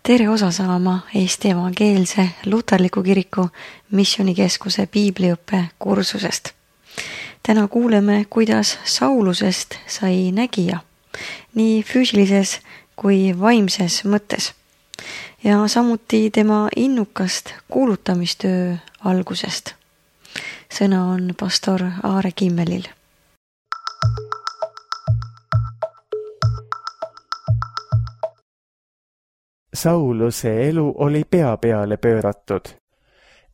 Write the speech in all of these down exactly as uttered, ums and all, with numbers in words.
tere osa saama Eesti Evangeelse Luterliku Kiriku Missioonikeskuse piibliõppe kursusest. Täna kuuleme, kuidas Saulusest sai nägija, nii füüsilises kui vaimses mõttes, ja samuti tema innukast kuulutamistöö algusest. Sõna on pastor Aare Kimmelil. Sauluse elu oli pea peale pööratud.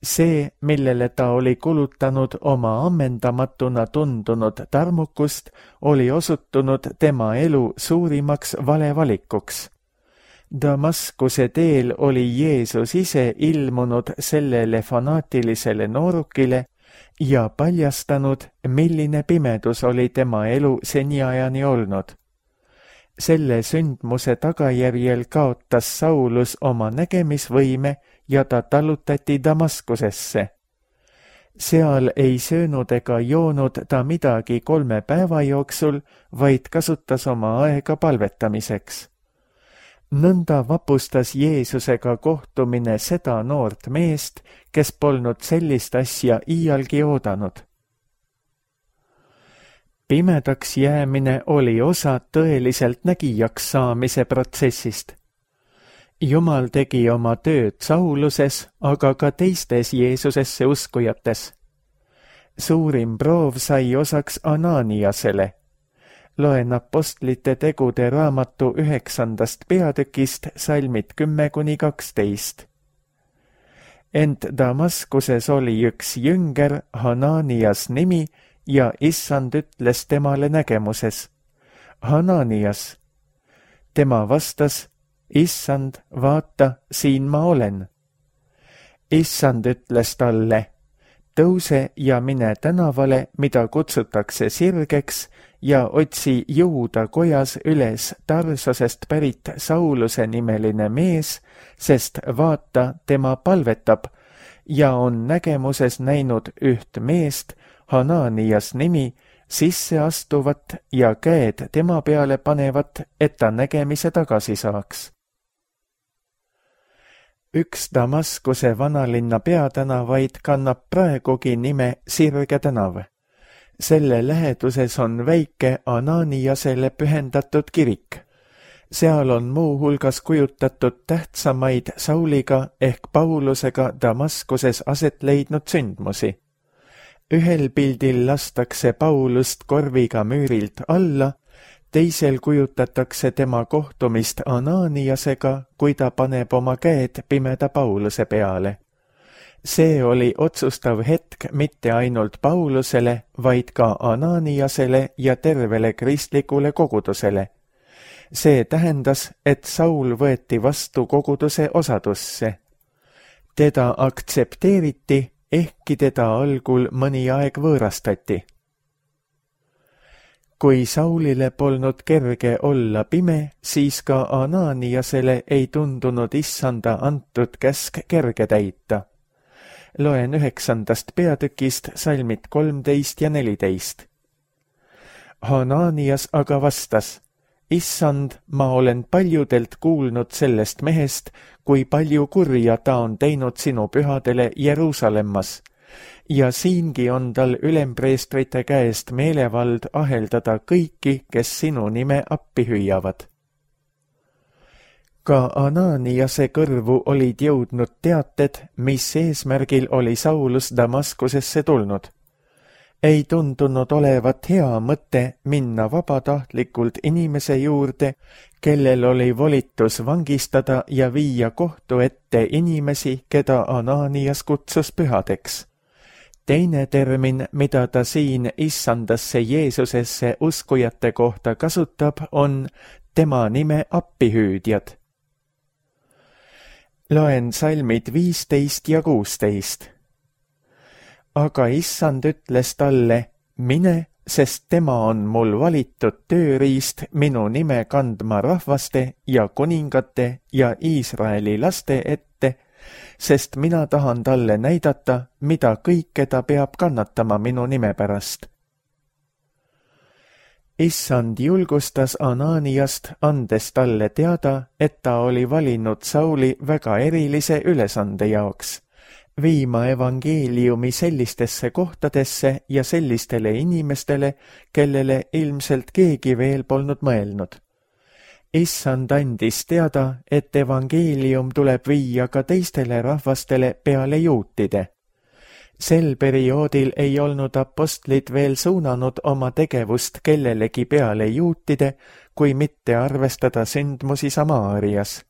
See, millele ta oli kulutanud oma ammendamatuna tundunud tarmukust, oli osutunud tema elu suurimaks valevalikuks. Damaskuse teel oli Jeesus ise ilmunud sellele fanaatilisele noorukile ja paljastanud, milline pimedus oli tema elu seniajani olnud. Selle sündmuse tagajärjel kaotas Saulus oma nägemisvõime ja ta tallutati Damaskusesse. Seal ei söönud ega joonud ta midagi kolme päeva jooksul, vaid kasutas oma aega palvetamiseks. Nõnda vapustas Jeesusega kohtumine seda noort meest, kes polnud sellist asja iialgi oodanud. Pimedaks jäämine oli osa tõeliselt nägijaks saamise protsessist. Jumal tegi oma tööd Sauluses, aga ka teistes Jeesusesse uskujates. Suurim proov sai osaks Ananiasele. Loen apostlite tegude raamatu üheksandast peatükist salmid kümme kuni kaksteist. Ent Damaskuses oli üks jünger, Hananias nimi, ja issand ütles temale nägemuses: Hananias. Tema vastas: issand, vaata, siin ma olen. Issand ütles talle: tõuse ja mine tänavale, mida kutsutakse Sirgeks, ja otsi Juuda kojas üles Tarsosest pärit Sauluse nimeline mees, sest vaata, tema palvetab ja on nägemuses näinud üht meest, Hananias nimi, sisse astuvat ja käed tema peale panevat, et ta nägemise tagasi saaks. Üks Damaskuse vanalinna peatänavaid kannab praegugi nime Sirge tänav. Selle läheduses on väike Ananiasele pühendatud kirik. Seal on muu hulgas kujutatud tähtsamaid Sauliga ehk Paulusega Damaskuses aset leidnud sündmusi. Ühel pildil lastakse Paulust korviga müürilt alla, teisel kujutatakse tema kohtumist Ananiasega, kui ta paneb oma käed pimeda Pauluse peale. See oli otsustav hetk mitte ainult Paulusele, vaid ka Ananiasele ja tervele kristlikule kogudusele. See tähendas, et Saul võeti vastu koguduse osadusse. Teda aktsepteeriti, ehkki teda algul mõni aeg võõrastati. Kui Saulile polnud kerge olla pime, siis ka Ananiasele ei tundunud issanda antud käsk kerge täita. Loen üheksandast peatükist salmid kolmteist ja neliteist. Hananias aga vastas: issand, ma olen paljudelt kuulnud sellest mehest, kui palju kurja ta on teinud sinu pühadele Jeruusalemmas, ja siingi on tal ülempreestrite käest meelevald aheldada kõiki, kes sinu nime appi hüüavad. Ka Ananiase kõrvu olid jõudnud teated, mis eesmärgil oli Saulus Damaskusesse tulnud. Ei tundunud olevat hea mõte minna vabatahtlikult inimese juurde, kellel oli volitus vangistada ja viia kohtu ette inimesi, keda Ananias kutsus pühadeks. Teine termin, mida ta siin issandasse Jeesusesse uskujate kohta kasutab, on tema nime appihüüdjad. Loen salmid viisteist ja kuusteist. Aga issand ütles talle: mine, sest tema on mul valitud tööriist minu nime kandma rahvaste ja kuningate ja Iisraeli laste ette, sest mina tahan talle näidata, mida kõike ta peab kannatama minu nime pärast. Issand julgustas Ananiast, andes talle teada, et ta oli valinud Sauli väga erilise ülesande jaoks, viima evangeeliumi sellistesse kohtadesse ja sellistele inimestele, kellele ilmselt keegi veel polnud mõelnud. Issand andis teada, et evangeelium tuleb viia ka teistele rahvastele peale juutide. Sel perioodil ei olnud apostlid veel suunanud oma tegevust kellelegi peale juutide, kui mitte arvestada sündmusi Samaarias.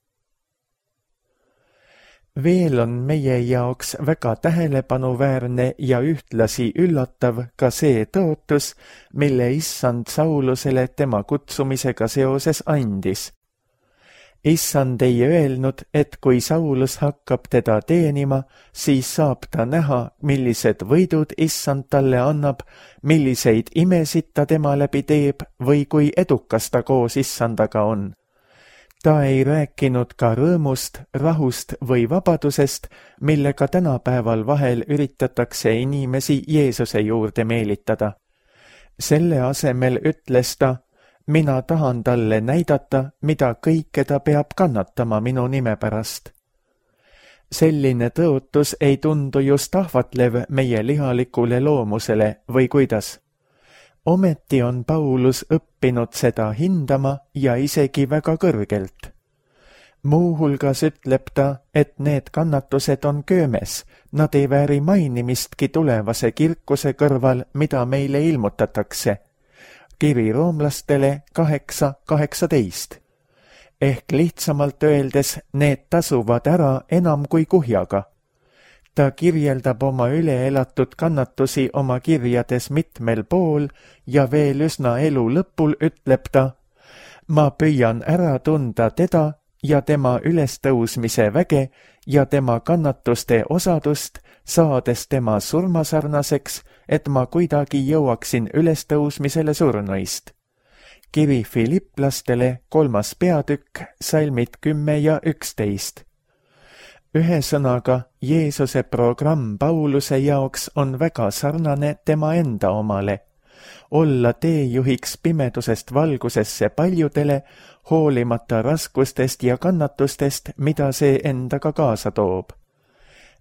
Veel on meie jaoks väga tähelepanuväärne ja ühtlasi üllatav ka see tõotus, mille Issand Saulusele tema kutsumisega seoses andis. Issand ei öelnud, et kui Saulus hakkab teda teenima, siis saab ta näha, millised võidud Issand talle annab, milliseid imesid ta tema läbi teeb või kui edukas ta koos Issandaga on. Ta ei rääkinud ka rõõmust, rahust või vabadusest, millega tänapäeval vahel üritatakse inimesi Jeesuse juurde meelitada. Selle asemel ütles ta, mina tahan talle näidata, mida kõike ta peab kannatama minu nime pärast. Selline tõotus ei tundu just ahvatlev meie lihalikule loomusele või kuidas. Ometi on Paulus õppinud seda hindama ja isegi väga kõrgelt. Muuhulgas ütleb ta, et need kannatused on köömes, nad ei vääri mainimistki tulevase kirkuse kõrval, mida meile ilmutatakse. Kiri roomlastele kaheksa kaheksateist. Ehk lihtsamalt öeldes, need tasuvad ära enam kui kuhjaga. Ta kirjeldab oma üleelatud kannatusi oma kirjades mitmel pool ja veel üsna elu lõpul ütleb ta, ma püüan ära tunda teda ja tema ülestõusmise väge ja tema kannatuste osadust, saades tema surmasarnaseks, et ma kuidagi jõuaksin ülestõusmisele surnuist. Kiri Filipplastele kolmas peatükk, salmid kümme ja üksteist. Ühesõnaga, Jeesuse programm Pauluse jaoks on väga sarnane tema enda omale. Olla teejuhiks pimedusest valgusesse paljudele, hoolimata raskustest ja kannatustest, mida see endaga kaasa toob.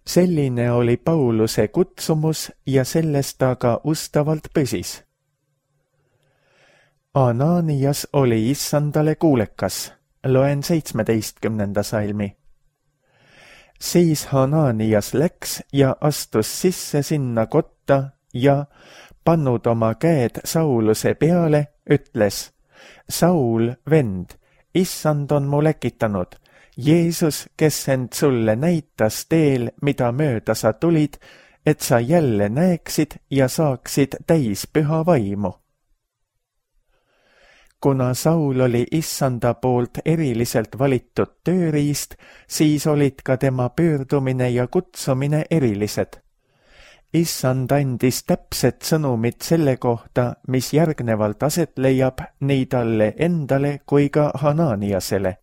Selline oli Pauluse kutsumus ja sellest ta ka ustavalt püsis. Ananias oli Issandale kuulekas. Loen seitsmeteistkümnenda salmi. Siis Ananias läks ja astus sisse sinna kotta ja, pannud oma käed Sauluse peale, ütles, Saul, vend, Issand on mu läkitanud, Jeesus, kes end sulle näitas teel, mida mööda sa tulid, et sa jälle näeksid ja saaksid täis püha vaimu. Kuna Saul oli Issanda poolt eriliselt valitud tööriist, siis olid ka tema pöördumine ja kutsumine erilised. Issand andis täpset sõnumit selle kohta, mis järgnevalt aset leiab nii talle endale kui ka Hananiasele.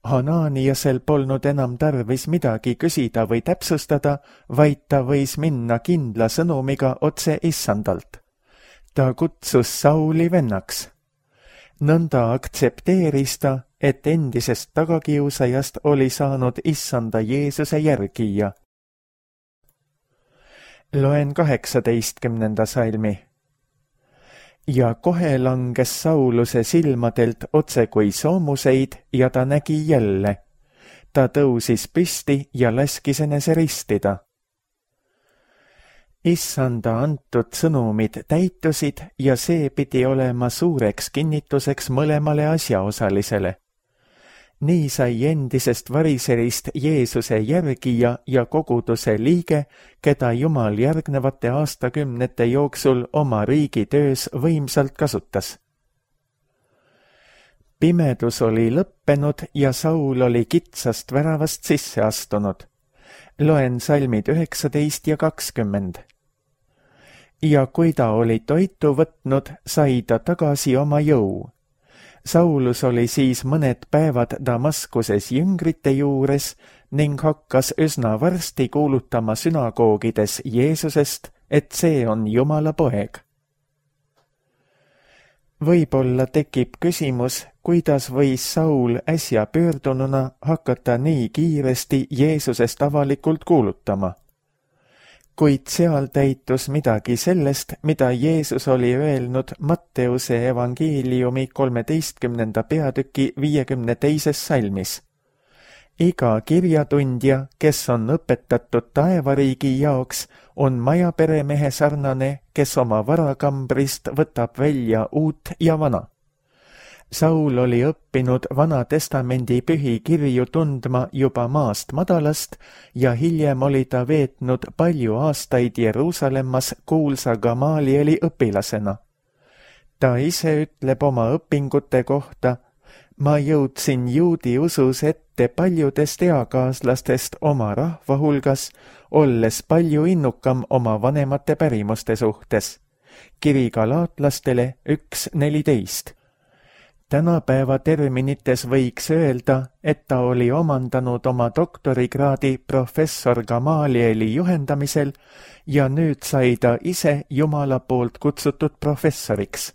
Hananiasel polnud enam tarvis midagi küsida või täpsustada, vaid ta võis minna kindla sõnumiga otse Issandalt. Ta kutsus Sauli vennaks. Nõnda aktsepteeris ta, et endisest tagakiusajast oli saanud Issanda Jeesuse järgija. Loen kaheksateistkümnenda salmi. Ja kohe langes Sauluse silmadelt otse kui soomuseid ja ta nägi jälle. Ta tõusis püsti ja laskis enese ristida. Issanda antud sõnumid täitusid ja see pidi olema suureks kinnituseks mõlemale asjaosalisele. Nii sai endisest variserist Jeesuse järgija ja koguduse liige, keda Jumal järgnevate aastakümnete jooksul oma riigi töös võimsalt kasutas. Pimedus oli lõppenud ja Saul oli kitsast väravast sisse astunud. Loen salmid üheksateist ja kakskümmend. Ja kui ta oli toitu võtnud, sai ta tagasi oma jõu. Saulus oli siis mõned päevad Damaskuses jüngrite juures ning hakkas üsna varsti kuulutama sünagoogides Jeesusest, et see on Jumala poeg. Võib-olla tekib küsimus, kuidas võis Saul äsja pöördununa hakata nii kiiresti Jeesusest avalikult kuulutama. Kuid seal täitus midagi sellest, mida Jeesus oli öelnud Matteuse evangeeliumi kolmeteistkümnenda peatüki viiekümne teises salmis. Iga kirjatundja, kes on õpetatud taevariigi jaoks, on majaperemehe sarnane, kes oma varakambrist võtab välja uut ja vana. Saul oli õppinud Vana Testamendi pühi kirju tundma juba maast madalast ja hiljem oli ta veetnud palju aastaid Jeruusalemmas kuulsa Gamalieli õpilasena. Ta ise ütleb oma õpingute kohta: ma jõudsin juudi usus ette paljudest eakaaslastest oma rahva hulgas, olles palju innukam oma vanemate pärimuste suhtes. Kiri galaatlastele üks neliteist. Tänapäeva terminites võiks öelda, et ta oli omandanud oma doktorikraadi professor Gamalieli juhendamisel ja nüüd sai ta ise Jumala poolt kutsutud professoriks.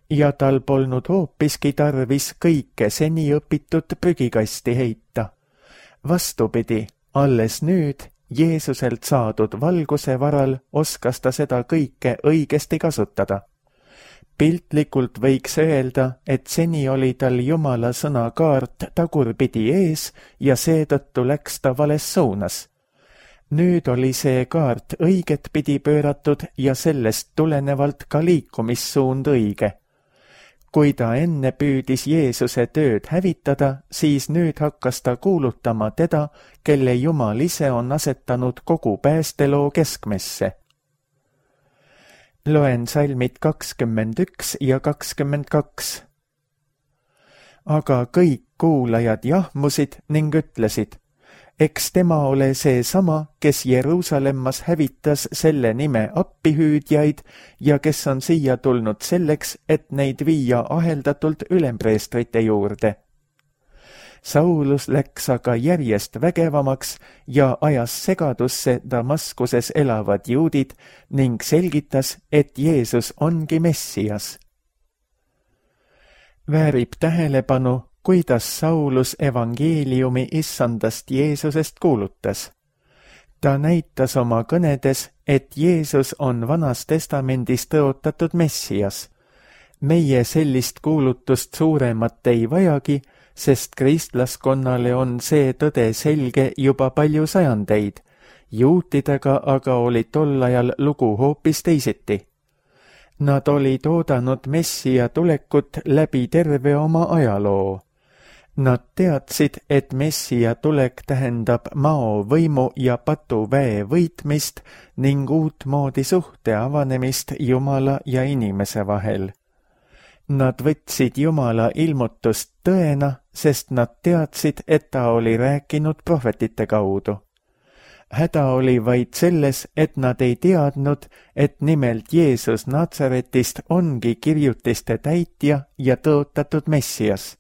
Ja tal polnud hoopiski tarvis kõike seni õpitud prügikasti heita. Vastupidi, alles nüüd Jeesuselt saadud valguse varal oskas ta seda kõike õigesti kasutada. Piltlikult võiks öelda, et seni oli tal Jumala sõna kaart tagurpidi ees ja seetõttu läks ta vales suunas. Nüüd oli see kaart õiget pidi pööratud ja sellest tulenevalt ka liikumissuund õige. Kui ta enne püüdis Jeesuse tööd hävitada, siis nüüd hakkas ta kuulutama teda, kelle Jumal ise on asetanud kogu päästeloo keskmesse. Loen salmid kakskümmend üks ja kakskümmend kaks. Aga kõik kuulajad jahmusid ning ütlesid: eks tema ole see sama, kes Jeruusalemmas hävitas selle nime appihüüdjaid ja kes on siia tulnud selleks, et neid viia aheldatult ülempreestrite juurde. Saulus läks aga järjest vägevamaks ja ajas segadusse Damaskuses elavad juudid ning selgitas, et Jeesus ongi Messias. Väärib tähelepanu, kuidas Saulus evangeeliumi issandast Jeesusest kuulutas. Ta näitas oma kõnedes, et Jeesus on Vanas Testamendis tõotatud Messias. Meie sellist kuulutust suuremat ei vajagi, sest kristlaskonnale on see tõde selge juba palju sajandeid. Juutidega aga oli tol ajal lugu hoopis teisiti. Nad olid oodanud Messia tulekut läbi terve oma ajaloo. Nad teadsid, et Messia tulek tähendab mao võimu ja patuväe võitmist ning uutmoodi suhte avanemist Jumala ja inimese vahel. Nad võtsid Jumala ilmutust tõena, sest nad teadsid, et ta oli rääkinud prohvetite kaudu. Häda oli vaid selles, et nad ei teadnud, et nimelt Jeesus Natsaretist ongi kirjutiste täitja ja tõotatud Messias.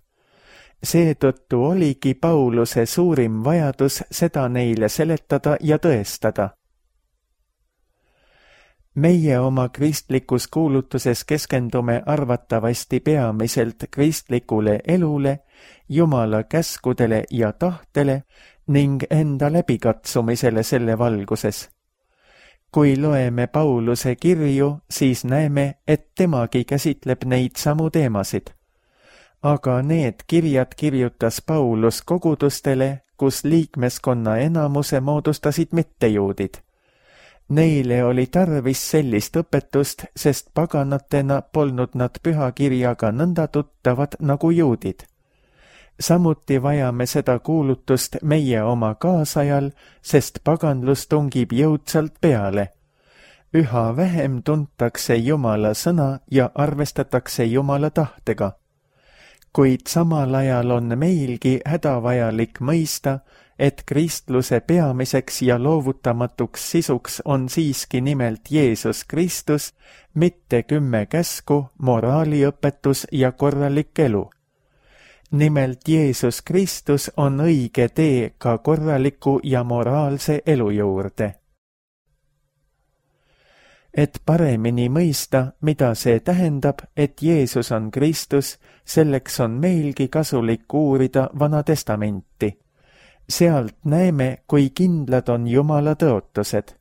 Seetõttu oligi Pauluse suurim vajadus seda neile seletada ja tõestada. Meie oma kristlikus kuulutuses keskendume arvatavasti peamiselt kristlikule elule, Jumala käskudele ja tahtele ning enda läbikatsumisele selle valguses. Kui loeme Pauluse kirju, siis näeme, et temagi käsitleb neid samu teemasid. Aga need kirjad kirjutas Paulus kogudustele, kus liikmeskonna enamuse moodustasid mittejuudid. Neile oli tarvis sellist õpetust, sest paganatena polnud nad pühakirjaga nõnda tuttavad nagu juudid. Samuti vajame seda kuulutust meie oma kaasajal, sest paganlus tungib jõudsalt peale. Üha vähem tuntakse Jumala sõna ja arvestatakse Jumala tahtega. Kuid samal ajal on meilgi hädavajalik mõista, et kristluse peamiseks ja loovutamatuks sisuks on siiski nimelt Jeesus Kristus, mitte kümme käsku, moraaliõpetus ja korralik elu. Nimelt Jeesus Kristus on õige tee ka korraliku ja moraalse elu juurde. et paremini mõista, mida see tähendab, et Jeesus on Kristus, selleks on meilgi kasulik uurida Vana Testamenti. Sealt näeme, kui kindlad on Jumala tõotused.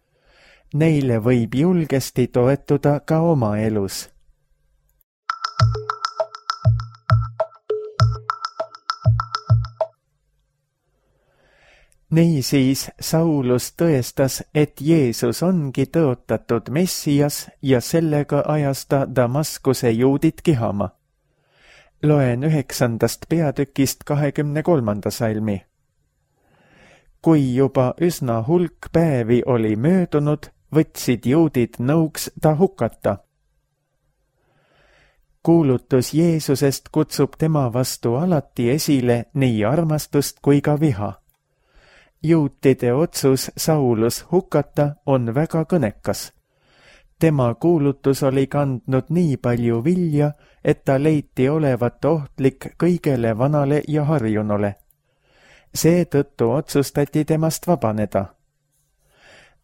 Neile võib julgesti toetuda ka oma elus. Niisiis Saulus tõestas, et Jeesus ongi tõotatud Messias ja sellega ajas ta Damaskuse juudid kihama. Loen üheksandast peatükist kahekümne kolmanda salmi. Kui juba üsna hulk päevi oli möödunud, võtsid juudid nõuks ta hukata. Kuulutus Jeesusest kutsub tema vastu alati esile nii armastust kui ka viha. Juutide otsus Saulus hukata on väga kõnekas. Tema kuulutus oli kandnud nii palju vilja, et ta leiti olevat ohtlik kõigele vanale ja harjunule. Seetõttu otsustati temast vabaneda.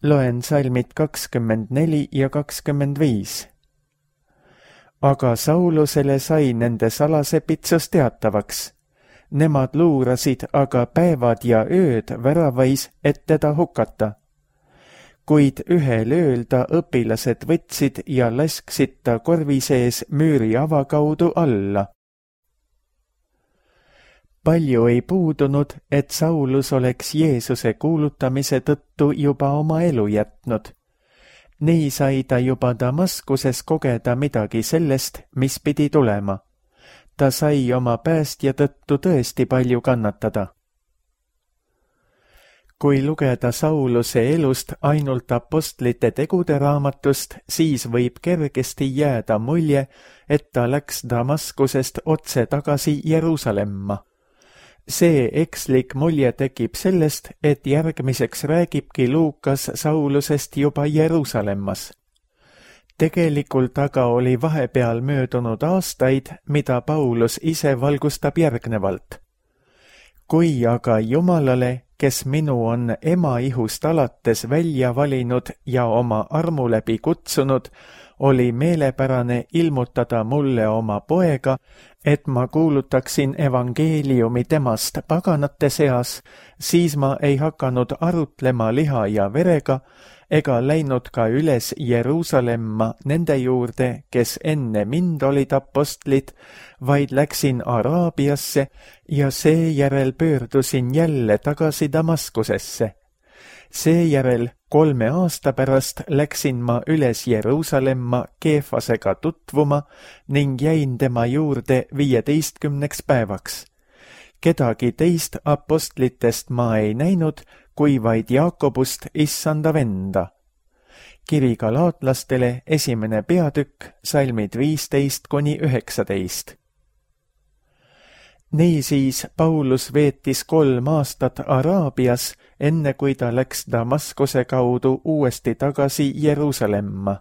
Loen salmid kakskümmend neli ja kakskümmend viis. Aga Saulusele sai nende salase pitsus teatavaks. Nemad luurasid aga päevad ja ööd väravais, et teda hukata. Kuid ühel ööl ta õpilased võtsid ja lasksid ta korvi sees müüri avakaudu alla. Palju ei puudunud, et Saulus oleks Jeesuse kuulutamise tõttu juba oma elu jätnud. Nii sai ta juba Damaskuses kogeda midagi sellest, mis pidi tulema. Ta sai oma päästja tõttu tõesti palju kannatada. Kui lugeda Sauluse elust ainult apostlite tegude raamatust, siis võib kergesti jääda mulje, et ta läks Damaskusest otse tagasi Jeruusalemma. See ekslik mulje tekib sellest, et järgmiseks räägibki Luukas Saulusest juba Jeruusalemmas. Tegelikult aga oli vahepeal möödunud aastaid, mida Paulus ise valgustab järgnevalt. Kui aga Jumalale, kes minu on ema ihust alates välja valinud ja oma armu läbi kutsunud, oli meelepärane ilmutada mulle oma poega, et ma kuulutaksin evangeeliumi temast paganate seas, siis ma ei hakanud arutlema liha ja verega, ega läinud ka üles Jeruusalemma nende juurde, kes enne mind olid apostlid, vaid läksin Araabiasse ja seejärel pöördusin jälle tagasi Damaskusesse. Seejärel kolme aasta pärast läksin ma üles Jeruusalemma Keefasega tutvuma ning jäin tema juurde viieteistkümneks päevaks. Kedagi teist apostlitest ma ei näinud, kui vaid Jaakobust issanda venda. Kiri galaatlastele esimene peatükk, salmid viisteist kuni üheksateist. Niisiis Paulus veetis kolm aastat Araabias, enne kui ta läks Damaskuse kaudu uuesti tagasi Jeruusalemma.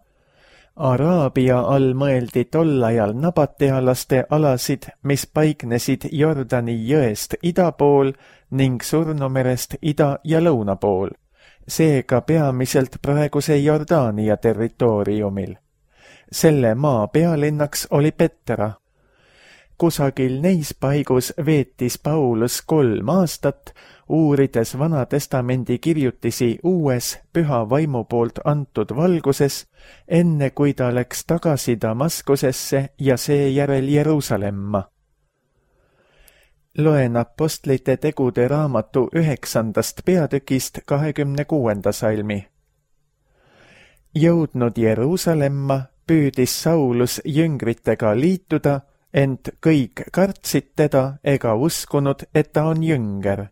Araabia all mõeldi tol ajal nabatealaste alasid, mis paiknesid Jordani jõest ida pool ning Surnumerest ida ja lõuna pool, seega peamiselt praeguse Jordaania territooriumil. Selle maa pealinnaks oli Petra. Kusagil neis paigus veetis Paulus kolm aastat, uurides Vana Testamendi kirjutisi uues püha vaimu poolt antud valguses, enne kui ta läks tagasi Damaskusesse ja seejärel Jeruusalemma. Loen apostlite tegude raamatu üheksandast peatükist kahekümne kuuenda salmi. Jõudnud Jeruusalemma, püüdis Saulus jüngritega liituda, ent kõik kartsid teda ega uskunud, et ta on jünger.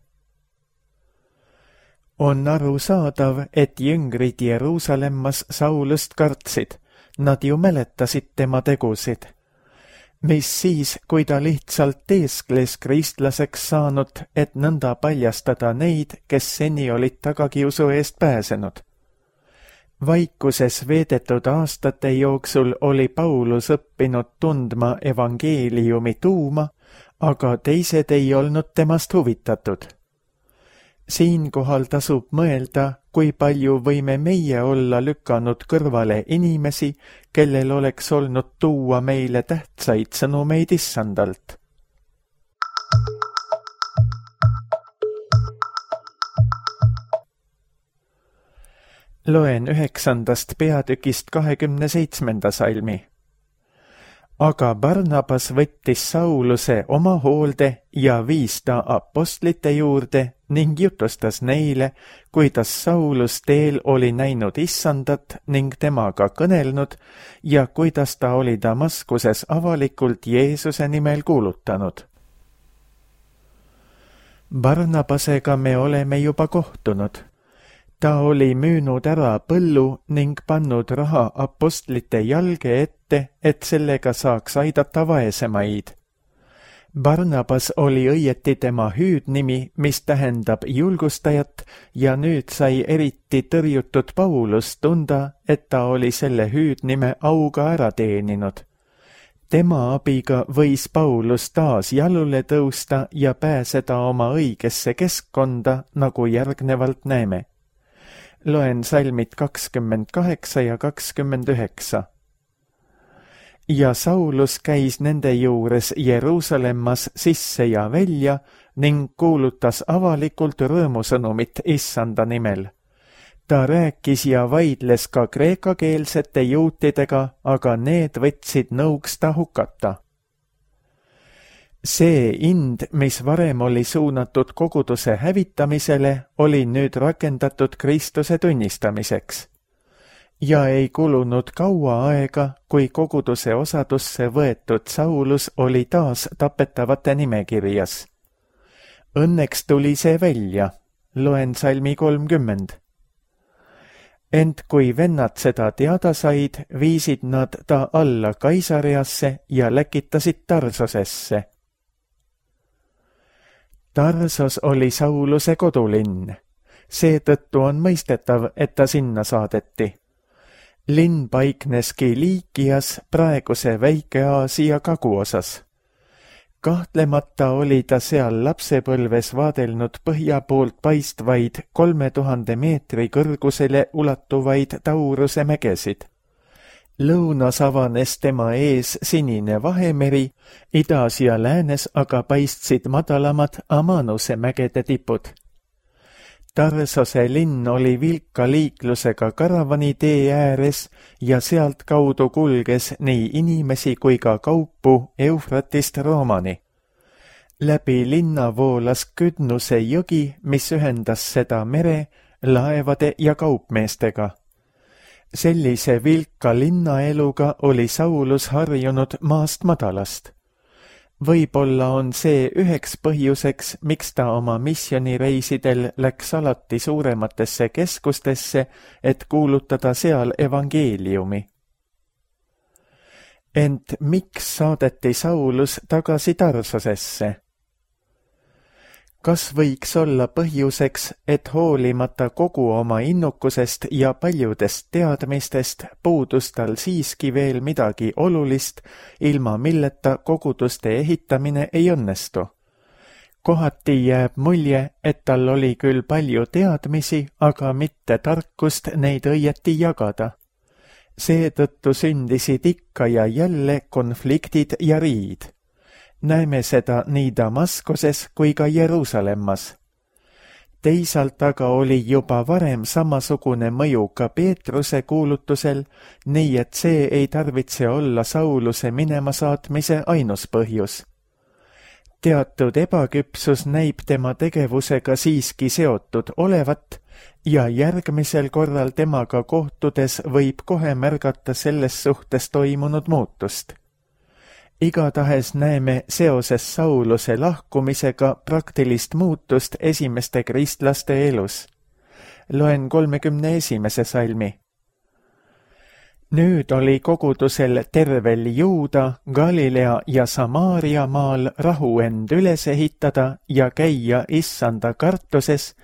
On arusaadav, et jüngrid Jeruusalemmas Saulust kartsid, nad ju mäletasid tema tegusid. Mis siis, kui ta lihtsalt teeskles kristlaseks saanud, et nõnda paljastada neid, kes seni olid tagakiusu eest pääsenud? Vaikuses veedetud aastate jooksul oli Paulus õppinud tundma evangeeliumi tuuma, aga teised ei olnud temast huvitatud. Siinkohal tasub mõelda, kui palju võime meie olla lükanud kõrvale inimesi, kellel oleks olnud tuua meile tähtsaid sõnumeid issandalt. Loen üheksandast peatükist kahekümne seitsmenda salmi. Aga Barnabas võttis Sauluse oma hoolde ja viis ta apostlite juurde ning jutustas neile, kuidas Saulus teel oli näinud issandat ning temaga kõnelnud ja kuidas ta oli Damaskuses avalikult Jeesuse nimel kuulutanud. Barnabasega me oleme juba kohtunud. Ta oli müünud ära põllu ning pannud raha apostlite jalge ette, et sellega saaks aidata vaesemaid. Barnabas oli õieti tema hüüdnimi, mis tähendab julgustajat, ja nüüd sai eriti tõrjutud Paulus tunda, et ta oli selle hüüdnime auga ära teeninud. Tema abiga võis Paulus taas jalule tõusta ja pääseda oma õigesse keskkonda, nagu järgnevalt näeme. Loen salmid kakskümmend kaheksa ja kakskümmend üheksa. Ja Saulus käis nende juures Jeruusalemmas sisse ja välja ning kuulutas avalikult rõõmusõnumit issanda nimel. Ta rääkis ja vaidles ka kreekakeelsete juutidega, aga need võtsid nõuks ta hukata. See ind, mis varem oli suunatud koguduse hävitamisele, oli nüüd rakendatud Kristuse tunnistamiseks. Ja ei kulunud kaua aega, kui koguduse osadusse võetud Saulus oli taas tapetavate nimekirjas. Õnneks tuli see välja, loen salmi kolmkümmend. Ent kui vennad seda teada said, viisid nad ta alla Kaisariasse ja läkitasid Tarsosesse. Tarsos oli Sauluse kodulinn. Seetõttu on mõistetav, et ta sinna saadeti. Linn paiknes Kiliikias, praeguse Väike-Aasia kaguosas. Kahtlemata oli ta seal lapsepõlves vaadelnud põhja poolt paistvaid kolme tuhande meetri kõrgusele ulatuvaid Tauruse mägesid. Lõunas avanes tema ees sinine Vahemeri, idas ja läänes aga paistsid madalamad Amanuse mägede tipud. Tarsose linn oli vilka liiklusega karavanitee ääres ja sealt kaudu kulges nii inimesi kui ka kaupu Eufratist Roomani. Läbi linna voolas Küdnuse jõgi, mis ühendas seda mere, laevade ja kaupmeestega. Sellise vilka linnaeluga oli Saulus harjunud maast madalast. Võib-olla on see üheks põhjuseks, miks ta oma misjonireisidel läks alati suurematesse keskustesse, et kuulutada seal evangeeliumi. Ent miks saadeti Saulus tagasi Tarsosesse? Kas võiks olla põhjuseks, et hoolimata kogu oma innukusest ja paljudest teadmistest puudus tal siiski veel midagi olulist, ilma milleta koguduste ehitamine ei õnnestu? Kohati jääb mulje, et tal oli küll palju teadmisi, aga mitte tarkust neid õieti jagada. Seetõttu sündisid ikka ja jälle konfliktid ja riid. Näeme seda nii Damaskoses kui ka Jeruusalemmas. Teisalt aga oli juba varem samasugune mõju ka Peetruse kuulutusel, nii et see ei tarvitse olla Sauluse minema saatmise ainus põhjus. Teatud ebaküpsus näib tema tegevusega siiski seotud olevat ja järgmisel korral temaga kohtudes võib kohe märgata selles suhtes toimunud muutust. Igatahes näeme seoses Sauluse lahkumisega praktilist muutust esimeste kristlaste elus. Loen kolmekümne esimese salmi. Nüüd oli kogudusel tervel Juuda, Galilea ja Samaaria maal rahu end üles ehitada ja käia issanda kartuses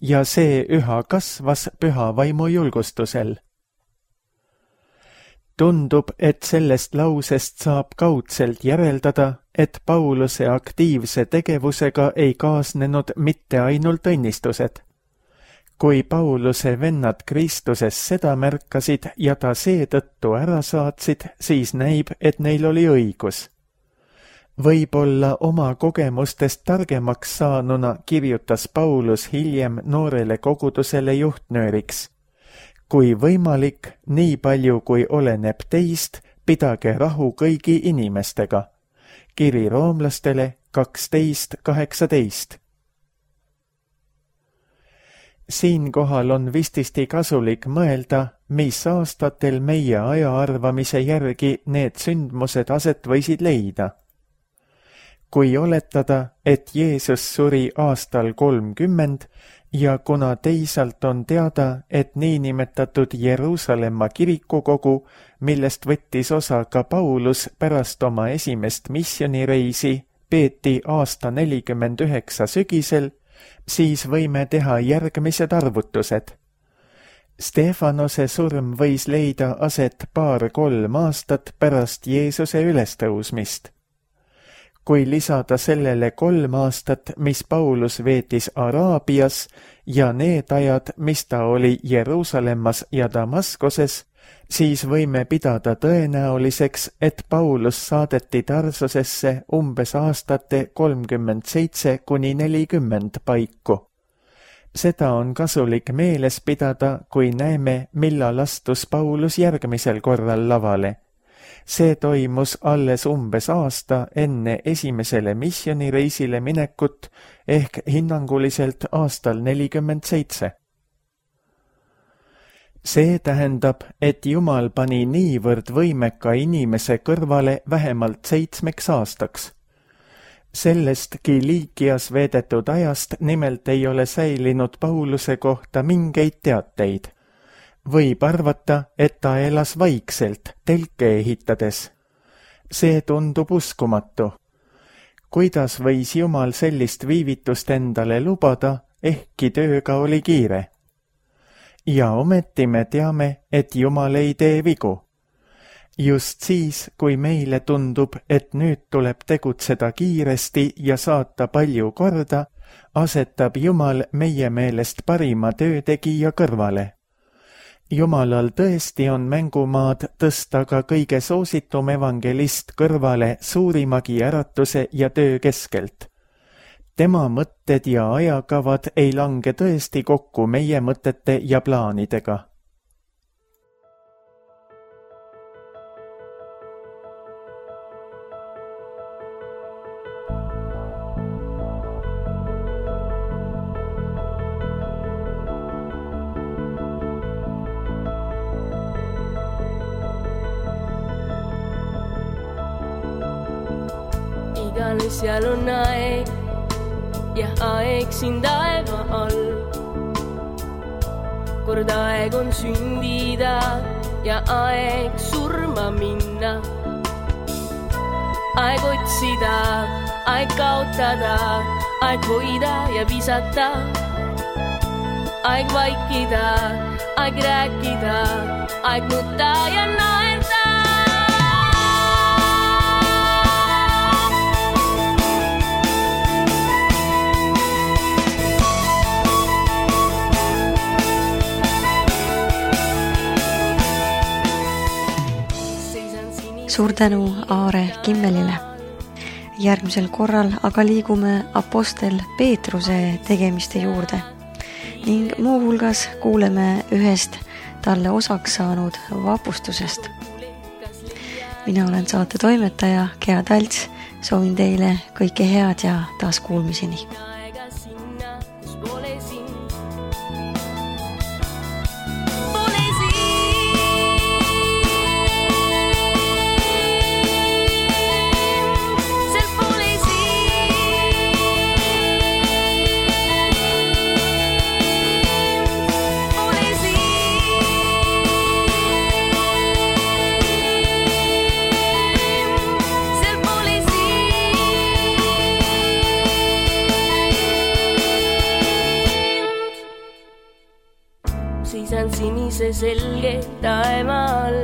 ja see üha kasvas püha vaimu julgustusel. Tundub, et sellest lausest saab kaudselt järeldada, et Pauluse aktiivse tegevusega ei kaasnenud mitte ainult õnnistused. Kui Pauluse vennad Kristuses seda märkasid ja ta seetõttu ära saatsid, siis näib, et neil oli õigus. Võib-olla oma kogemustest targemaks saanuna kirjutas Paulus hiljem noorele kogudusele juhtnööriks. Kui võimalik, nii palju kui oleneb teist, pidage rahu kõigi inimestega. Kiri roomlastele kaksteist kaheksateist. Siinkohal on vististi kasulik mõelda, mis aastatel meie aja arvamise järgi need sündmused aset võisid leida. Kui oletada, et Jeesus suri aastal kolmkümmend ja kuna teisalt on teada, et niinimetatud Jeruusalemma kirikukogu, millest võttis osa ka Paulus pärast oma esimest missionireisi, peeti aasta nelikümmend üheksa sügisel, siis võime teha järgmised arvutused. Stefanose surm võis leida aset paar-kolm aastat pärast Jeesuse ülestõusmist. Kui lisada sellele kolm aastat, mis Paulus veetis Araabias ja need ajad, mis ta oli Jeruusalemmas ja Damaskoses, siis võime pidada tõenäoliseks, et Paulus saadeti Tarsusesse umbes aastate kolmkümmend seitse kuni nelikümmend paiku. Seda on kasulik meeles pidada, kui näeme, millal astus Paulus järgmisel korral lavale. See toimus alles umbes aasta enne esimesele missionireisile minekut ehk hinnanguliselt aastal nelikümmend seitse. See tähendab, et Jumal pani niivõrd võimeka inimese kõrvale vähemalt seitsmeks aastaks. Sellest Kiliikias veedetud ajast nimelt ei ole säilinud Pauluse kohta mingeid teateid. Võib arvata, et ta elas vaikselt, telke ehitades. See tundub uskumatu. Kuidas võis Jumal sellist viivitust endale lubada, ehkki tööga oli kiire? Ja ometi me teame, et Jumal ei tee vigu. Just siis, kui meile tundub, et nüüd tuleb tegutseda kiiresti ja saata palju korda, asetab Jumal meie meelest parima töötegija kõrvale. Jumalal tõesti on mängumaad tõsta ka kõige soositum evangelist kõrvale suurimagi äratuse ja töö keskelt. Tema mõtted ja ajakavad ei lange tõesti kokku meie mõtete ja plaanidega. Seal on aeg ja aeg siin taeva all. Kord aeg on sündida ja aeg surma minna. Aeg otsida, aeg kaotada, aeg hoida ja visata. Aeg vaikida, aeg rääkida, aeg nutta ja naerda. Suur tänu Aare Kimmelile. Järgmisel korral aga liigume apostel Peetruse tegemiste juurde ning muuhulgas kuuleme ühest talle osaks saanud vapustusest. Mina olen saate toimetaja Gea Talts, soovin teile kõike head ja taas kuulmiseni. Seisan sinise selge taeva all.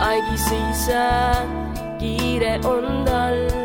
aeg ei seisa, kiire on tal.